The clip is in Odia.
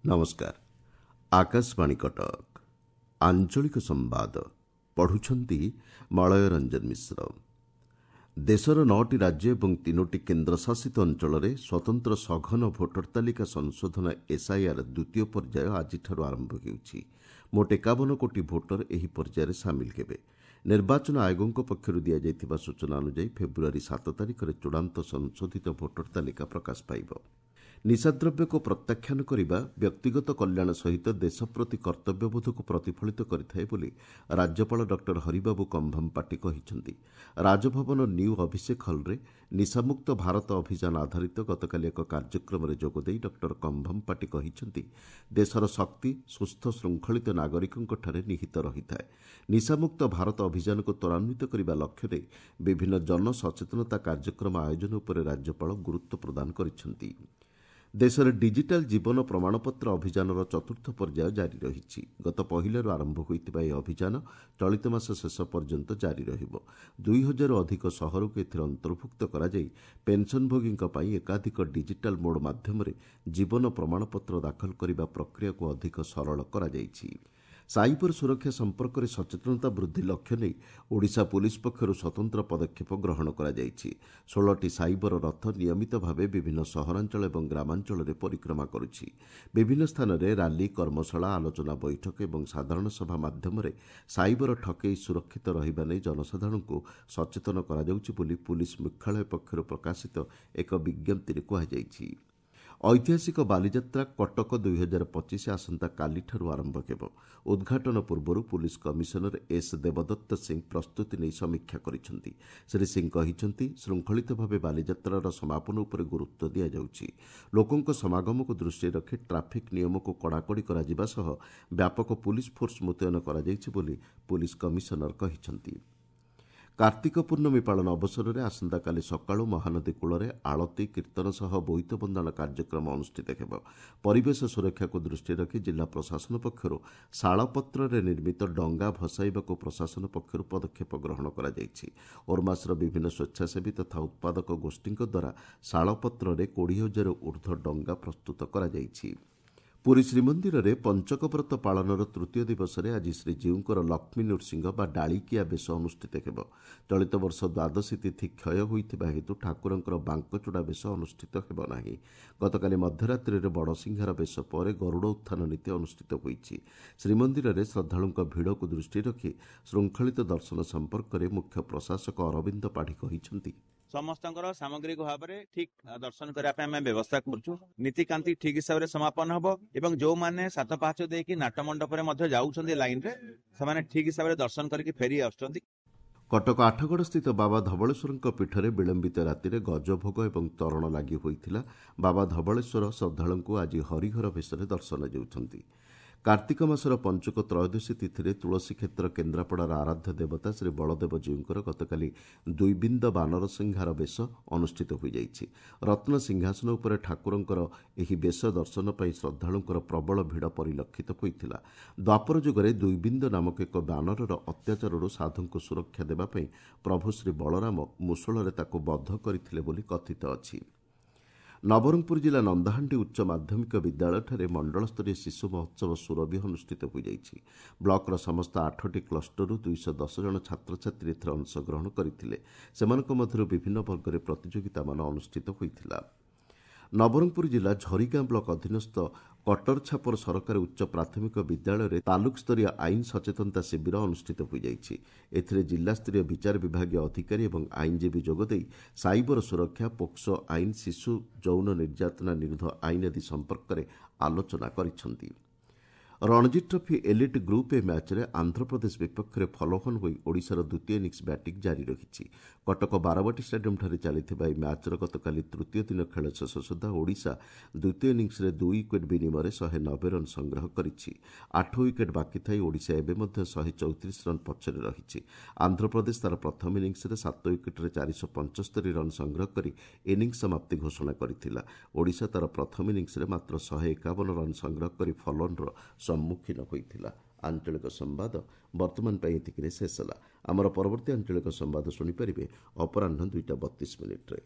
ନମସ୍କାର, ଆକାଶବାଣୀ କଟକ। ଆଞ୍ଚଳିକ ସମ୍ବାଦ ପଢ଼ୁଛନ୍ତି ମଳୟ ରଞ୍ଜନ ମିଶ୍ର। ଦେଶର 9ଟି ରାଜ୍ୟ ଏବଂ 3ଟି କେନ୍ଦ୍ରଶାସିତ ଅଞ୍ଚଳରେ ସ୍ୱତନ୍ତ୍ର ସଘନ ଭୋଟର ତାଲିକା ସଂଶୋଧନ ଏସ୍ଆଇଆର୍ ଦ୍ୱିତୀୟ ପର୍ଯ୍ୟାୟ ଆଜିଠାରୁ ଆରମ୍ଭ ହେଉଛି। ମୋଟ 51 କୋଟି ଭୋଟର ଏହି ପର୍ଯ୍ୟାୟରେ ସାମିଲ ହେବେ। ନିର୍ବାଚନ ଆୟୋଗଙ୍କ ପକ୍ଷରୁ ଦିଆଯାଇଥିବା ସୂଚନା ଅନୁଯାୟୀ ଫେବୃଆରୀ 7 ତାରିଖରେ ଚୂଡ଼ାନ୍ତ ସଂଶୋଧିତ ଭୋଟର ତାଲିକା ପ୍ରକାଶ ପାଇବ। ନିଶାଦ୍ରବ୍ୟକୁ ପ୍ରତ୍ୟାଖ୍ୟାନ କରିବା ବ୍ୟକ୍ତିଗତ କଲ୍ୟାଣ ସହିତ ଦେଶ ପ୍ରତି କର୍ତ୍ତବ୍ୟବୋଧକୁ ପ୍ରତିଫଳିତ କରିଥାଏ ବୋଲି ରାଜ୍ୟପାଳ ଡକ୍ଟର ହରିବାବୁ କମ୍ଭମପାଟି କହିଛନ୍ତି। ରାଜଭବନ ନ୍ୟୁ ଅଭିଷେକ ହଲ୍ରେ ନିଶାମୁକ୍ତ ଭାରତ ଅଭିଯାନ ଆଧାରିତ ଗତକାଲି ଏକ କାର୍ଯ୍ୟକ୍ରମରେ ଯୋଗଦେଇ ଡକ୍ଟର କମ୍ଭମପାଟି କହିଛନ୍ତି, ଦେଶର ଶକ୍ତି ସୁସ୍ଥ ଶୃଙ୍ଖଳିତ ନାଗରିକଙ୍କଠାରେ ନିହିତ ରହିଥାଏ। ନିଶାମୁକ୍ତ ଭାରତ ଅଭିଯାନକୁ ତ୍ୱରାନ୍ୱିତ କରିବା ଲକ୍ଷ୍ୟ ନେଇ ବିଭିନ୍ନ ଜନସଚେତନତା କାର୍ଯ୍ୟକ୍ରମ ଆୟୋଜନ ଉପରେ ରାଜ୍ୟପାଳ ଗୁରୁତ୍ୱ ପ୍ରଦାନ କରିଛନ୍ତି। ଦେଶରେ ଡିଜିଟାଲ୍ ଜୀବନ ପ୍ରମାଣପତ୍ର ଅଭିଯାନର ଚତୁର୍ଥ ପର୍ଯ୍ୟାୟ ଜାରି ରହିଛି। ଗତ ପହିଲାରୁ ଆରମ୍ଭ ହୋଇଥିବା ଏହି ଅଭିଯାନ ଚଳିତ ମାସ ଶେଷ ପର୍ଯ୍ୟନ୍ତ ଜାରି ରହିବ। 2000ରୁ ଅଧିକ ସହରକୁ ଏଥିରେ ଅନ୍ତର୍ଭୁକ୍ତ କରାଯାଇ ପେନ୍ସନଭୋଗୀଙ୍କ ପାଇଁ ଏକାଧିକ ଡିଜିଟାଲ୍ ମୋଡ୍ ମାଧ୍ୟମରେ ଜୀବନ ପ୍ରମାଣପତ୍ର ଦାଖଲ କରିବା ପ୍ରକ୍ରିୟାକୁ ଅଧିକ ସରଳ କରାଯାଇଛି। ସାଇବର ସୁରକ୍ଷା ସମ୍ପର୍କରେ ସଚେତନତା ବୃଦ୍ଧି ଲକ୍ଷ୍ୟ ନେଇ ଓଡ଼ିଶା ପୁଲିସ୍ ପକ୍ଷରୁ ସ୍ୱତନ୍ତ୍ର ପଦକ୍ଷେପ ଗ୍ରହଣ କରାଯାଇଛି। 16ଟି ସାଇବର ରଥ ନିୟମିତ ଭାବେ ବିଭିନ୍ନ ସହରାଞ୍ଚଳ ଏବଂ ଗ୍ରାମାଞ୍ଚଳରେ ପରିକ୍ରମା କରୁଛି। ବିଭିନ୍ନ ସ୍ଥାନରେ ରାଲି, କର୍ମଶାଳା, ଆଲୋଚନା ବୈଠକ ଏବଂ ସାଧାରଣ ସଭା ମାଧ୍ୟମରେ ସାଇବର ଠକେଇ ସୁରକ୍ଷିତ ରହିବା ନେଇ ଜନସାଧାରଣଙ୍କୁ ସଚେତନ କରାଯାଉଛି ବୋଲି ପୁଲିସ୍ ମୁଖ୍ୟାଳୟ ପକ୍ଷରୁ ପ୍ରକାଶିତ ଏକ ବିଜ୍ଞପ୍ତିରେ କୁହାଯାଇଛି। ଐତିହାସିକ ବାଲିଯାତ୍ରା କଟକ 2025 ଆସନ୍ତାକାଲିଠାରୁ ଆରମ୍ଭ ହେବ। ଉଦ୍ଘାଟନ ପୂର୍ବରୁ ପୁଲିସ୍ କମିଶନର ଏସ୍ ଦେବଦତ୍ତ ସିଂ ପ୍ରସ୍ତୁତି ନେଇ ସମୀକ୍ଷା କରିଛନ୍ତି। ଶ୍ରୀ ସିଂ କହିଛନ୍ତି, ଶୃଙ୍ଖଳିତ ଭାବେ ବାଲିଯାତ୍ରାର ସମାପନ ଉପରେ ଗୁରୁତ୍ୱ ଦିଆଯାଉଛି। ଲୋକଙ୍କ ସମାଗମକୁ ଦୃଷ୍ଟିରେ ରଖି ଟ୍ରାଫିକ୍ ନିୟମକୁ କଡ଼ାକଡ଼ି କରାଯିବା ସହ ବ୍ୟାପକ ପୁଲିସ୍ ଫୋର୍ସ ମୁତୟନ କରାଯାଇଛି ବୋଲି ପୁଲିସ୍ କମିଶନର କହିଛନ୍ତି। କାର୍ତ୍ତିକ ପୂର୍ଣ୍ଣମୀ ପାଳନ ଅବସରରେ ଆସନ୍ତାକାଲି ସକାଳୁ ମହାନଦୀ କୂଳରେ ଆଳତୀ, କୀର୍ତ୍ତନ ସହ ବୋଇତ ବନ୍ଦାଣ କାର୍ଯ୍ୟକ୍ରମ ଅନୁଷ୍ଠିତ ହେବ। ପରିବେଶ ସୁରକ୍ଷାକୁ ଦୃଷ୍ଟିରେ ରଖି ଜିଲ୍ଲା ପ୍ରଶାସନ ପକ୍ଷରୁ ଶାଳପତ୍ରରେ ନିର୍ମିତ ଡଙ୍ଗା ଭସାଇବାକୁ ପ୍ରଶାସନ ପକ୍ଷରୁ ପଦକ୍ଷେପ ଗ୍ରହଣ କରାଯାଇଛି। ଓର୍ମାସର ବିଭିନ୍ନ ସ୍ୱେଚ୍ଛାସେବୀ ତଥା ଉତ୍ପାଦକ ଗୋଷ୍ଠୀଙ୍କ ଦ୍ୱାରା ଶାଳପତ୍ରରେ 20,000 ଉର୍ଦ୍ଧ୍ୱ ଡଙ୍ଗା ପ୍ରସ୍ତୁତ କରାଯାଇଛି। ପୁରୀ ଶ୍ରୀମନ୍ଦିରରେ ପଞ୍ଚକବ୍ରତ ପାଳନର ତୃତୀୟ ଦିବସରେ ଆଜି ଶ୍ରୀଜୀଉଙ୍କର ଲକ୍ଷ୍ମୀ ନୃସିଂହ ବା ଡାଳିକିଆ ବେଶ ଅନୁଷ୍ଠିତ ହେବ। ଚଳିତ ବର୍ଷ ଦ୍ୱାଦଶୀ ତିଥି କ୍ଷୟ ହୋଇଥିବା ହେତୁ ଠାକୁରଙ୍କର ବାଙ୍କଚୂଡ଼ା ବେଶ ଅନୁଷ୍ଠିତ ହେବ ନାହିଁ। ଗତକାଲି ମଧ୍ୟରାତ୍ରିରେ ବଡ଼ସିଂହାର ବେଶ ପରେ ଗରୁଡ଼ ଉତ୍ଥାନ ନୀତି ଅନୁଷ୍ଠିତ ହୋଇଛି। ଶ୍ରୀମନ୍ଦିରରେ ଶ୍ରଦ୍ଧାଳୁଙ୍କ ଭିଡ଼କୁ ଦୃଷ୍ଟିରେ ରଖି ଶୃଙ୍ଖଳିତ ଦର୍ଶନ ସମ୍ପର୍କରେ ମୁଖ୍ୟ ପ୍ରଶାସକ ଅରବିନ୍ଦ ପାଢ଼ୀ କହିଛନ୍ତି, ସମସ୍ତଙ୍କର ସାମଗ୍ରିକ ଭାବରେ ଠିକ ଦର୍ଶନ କରିବା ପାଇଁ ଆମେ ବ୍ୟବସ୍ଥା କରୁଛୁ। ନୀତିକାନ୍ତି ଠିକ ହିସାବରେ ସମାପନ ହବ ଏବଂ ଯୋଉମାନେ 7 ପାହାଚ ଦେଇକି ନାଟ ମଣ୍ଡପରେ ମଧ୍ୟ ଯାଉଛନ୍ତି ଲାଇନରେ, ସେମାନେ ଠିକ ହିସାବରେ ଦର୍ଶନ କରିକି ଫେରି ଆସୁଛନ୍ତି। କଟକ ଆଠଗଡ଼ସ୍ଥିତ ବାବା ଧବଳେଶ୍ୱରଙ୍କ ପୀଠରେ ବିଳମ୍ବିତ ରାତିରେ ଗଜଭୋଗ ଏବଂ ତରଣ ଲାଗି ହୋଇଥିଲା। ବାବା ଧବଳେଶ୍ୱର ଶ୍ରଦ୍ଧାଳୁଙ୍କୁ ଆଜି ହରିହର ବେଶରେ ଦର୍ଶନ ଦେଉଛନ୍ତି। କାର୍ତ୍ତିକ ମାସର ପଞ୍ଚୁକ ତ୍ରୟୋଦଶୀ ତିଥିରେ ତୁଳସୀ କ୍ଷେତ୍ର କେନ୍ଦ୍ରାପଡ଼ାର ଆରାଧ୍ୟ ଦେବତା ଶ୍ରୀ ବଳଦେବଜୀଉଙ୍କର ଗତକାଲି ଦ୍ୱିବିନ୍ଦ ବାନର ସିଂହାର ବେଶ ଅନୁଷ୍ଠିତ ହୋଇଯାଇଛି। ରତ୍ନ ସିଂହାସନ ଉପରେ ଠାକୁରଙ୍କର ଏହି ବେଶ ଦର୍ଶନ ପାଇଁ ଶ୍ରଦ୍ଧାଳୁଙ୍କର ପ୍ରବଳ ଭିଡ଼ ପରିଲକ୍ଷିତ ହୋଇଥିଲା। ଦ୍ୱାପର ଯୁଗରେ ଦ୍ୱିବିନ୍ଦ ନାମକ ଏକ ବାନରର ଅତ୍ୟାଚାରରୁ ସାଧୁଙ୍କୁ ସୁରକ୍ଷା ଦେବା ପାଇଁ ପ୍ରଭୁ ଶ୍ରୀ ବଳରାମ ମୁଷଳରେ ତାକୁ ବଧ କରିଥିଲେ ବୋଲି କଥିତ ଅଛି। ନବରଙ୍ଗପୁର ଜିଲ୍ଲା ନନ୍ଦାହାଣ୍ଡି ଉଚ୍ଚ ମାଧ୍ୟମିକ ବିଦ୍ୟାଳୟଠାରେ ମଣ୍ଡଳସ୍ତରୀୟ ଶିଶୁ ମହୋତ୍ସବ ସୁରଭି ଅନୁଷ୍ଠିତ ହୋଇଯାଇଛି। ବ୍ଲକର ସମସ୍ତ 8ଟି କ୍ଲଷ୍ଟରରୁ 210 ଜଣ ଛାତ୍ରଛାତ୍ରୀ ଏଥିରେ ଅଂଶଗ୍ରହଣ କରିଥିଲେ। ସେମାନଙ୍କ ମଧ୍ୟରୁ ବିଭିନ୍ନ ବର୍ଗରେ ପ୍ରତିଯୋଗିତାମାନ ଅନୁଷ୍ଠିତ ହୋଇଥିଲା। ନବରଙ୍ଗପୁର ଜିଲ୍ଲା ଝରିଗାଁ ବ୍ଲକ ଅଧୀନସ୍ଥ କଟରଛାପର ସରକାରୀ ଉଚ୍ଚ ପ୍ରାଥମିକ ବିଦ୍ୟାଳୟରେ ତାଲୁକ ସ୍ତରୀୟ ଆଇନ ସଚେତନତା ଶିବିର ଅନୁଷ୍ଠିତ ହୋଇଯାଇଛି। ଏଥିରେ ଜିଲ୍ଲାସ୍ତରୀୟ ବିଚାର ବିଭାଗୀୟ ଅଧିକାରୀ ଏବଂ ଆଇନଜୀବୀ ଯୋଗଦେଇ ସାଇବର ସୁରକ୍ଷା, ପୋକ୍ସୋ ଆଇନ, ଶିଶୁ ଯୌନ ନିର୍ଯାତନା ନିରୋଧ ଆଇନ ଆଦି ସମ୍ପର୍କରେ ଆଲୋଚନା କରିଛନ୍ତି। Ranji trophy elite group A ମ୍ୟାଚ୍ରେ ଆନ୍ଧ୍ରପ୍ରଦେଶ ବିପକ୍ଷରେ ଫଲୋହନ ହୋଇ ଓଡ଼ିଶାର ଦ୍ୱିତୀୟ ଇନିଂସ ବ୍ୟାଟିଂ ଜାରି ରହିଛି। କଟକ ବାରବାଟୀ ଷ୍ଟାଡିୟମ୍ଠାରେ ଚାଲିଥିବା ଏହି ମ୍ୟାଚ୍ର ଗତକାଲି ତୃତୀୟ ଦିନ ଖେଳ ଶେଷ ସୁଦ୍ଧା ଓଡ଼ିଶା ଦ୍ୱିତୀୟ ଇନିଂସରେ 2 ୱିକେଟ୍ ବିନିମୟରେ 190 ରନ୍ ସଂଗ୍ରହ କରିଛି। 8 ୱିକେଟ୍ ବାକି ଥାଇ ଓଡ଼ିଶା ଏବେ ମଧ୍ୟ 134 ରନ୍ ପଛରେ ରହିଛି। ଆନ୍ଧ୍ରପ୍ରଦେଶ ତା'ର ପ୍ରଥମ ଇନିଂସରେ 7 ୱିକେଟ୍ରେ 475 ରନ୍ ସଂଗ୍ରହ କରି ଇନିଂସ ସମାପ୍ତି ଘୋଷଣା କରିଥିଲା। ଓଡ଼ିଶା ତା'ର ପ୍ରଥମ ଇନିଂସରେ ମାତ୍ର 151 ରନ୍ ସଂଗ୍ରହ କରି ଫଲୋନ୍ର ସମ୍ମୁଖୀନ ହୋଇଥିଲା। ଆଞ୍ଚଳିକ ସମ୍ବାଦ ବର୍ତ୍ତମାନ ପାଇଁ ଏତିକିରେ ଶେଷ ହେଲା। ଆମର ପରବର୍ତ୍ତୀ ଆଞ୍ଚଳିକ ସମ୍ବାଦ ଶୁଣିପାରିବେ ଅପରାହ୍ନ 2ଟା 32 ମିନିଟ୍ରେ।